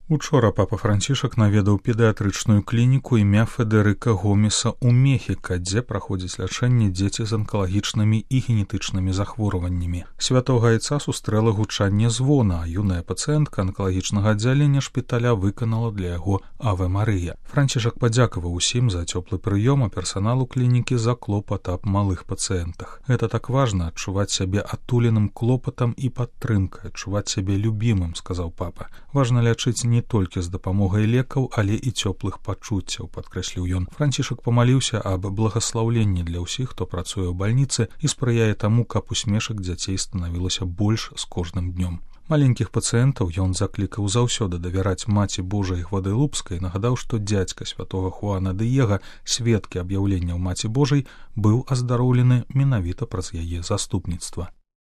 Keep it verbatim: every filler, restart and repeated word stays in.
Учора папа Францішак наведаў педыятрычную клініку імя Федэрыка Гомеса ў Мехіка, дзе праходзяць лячэнне дзеці з анкалагічнымі і генетычнымі захворваннямі. Святога Айца сустрэла гучанне звона, а юная пацыентка анкалагічнага аддзялення шпіталя выканала для яго Аве Марыя. Францішак падзякаваў усім за цёплы прыём, а персаналу клінікі за клопат аб малых пацыентах. Гэта так важна — адчуваць сябе атуленым клопатам і падтрымкай, адчуваць сябе любімым, сказаў папа. Важна лячыць не толькі з дапамогай лекаў, але і цёплых пачуццяў, падкрэсліў ён. Францішак памаліўся аб благаслаўленні для ўсіх, хто працуе ў бальніцы і спрыяе таму, каб усмешак дзяцей станавілася больш з кожным днём. Маленькіх пацыентаў ён заклікаў заўсёды давяраць Маці Божай Гвадэлупскай, нагадаў, што дзядзька святога Хуана Дыега, сведкі аб'яўленняў Маці Божай, быў аздароўлены менавіта праз яе заступніцтва.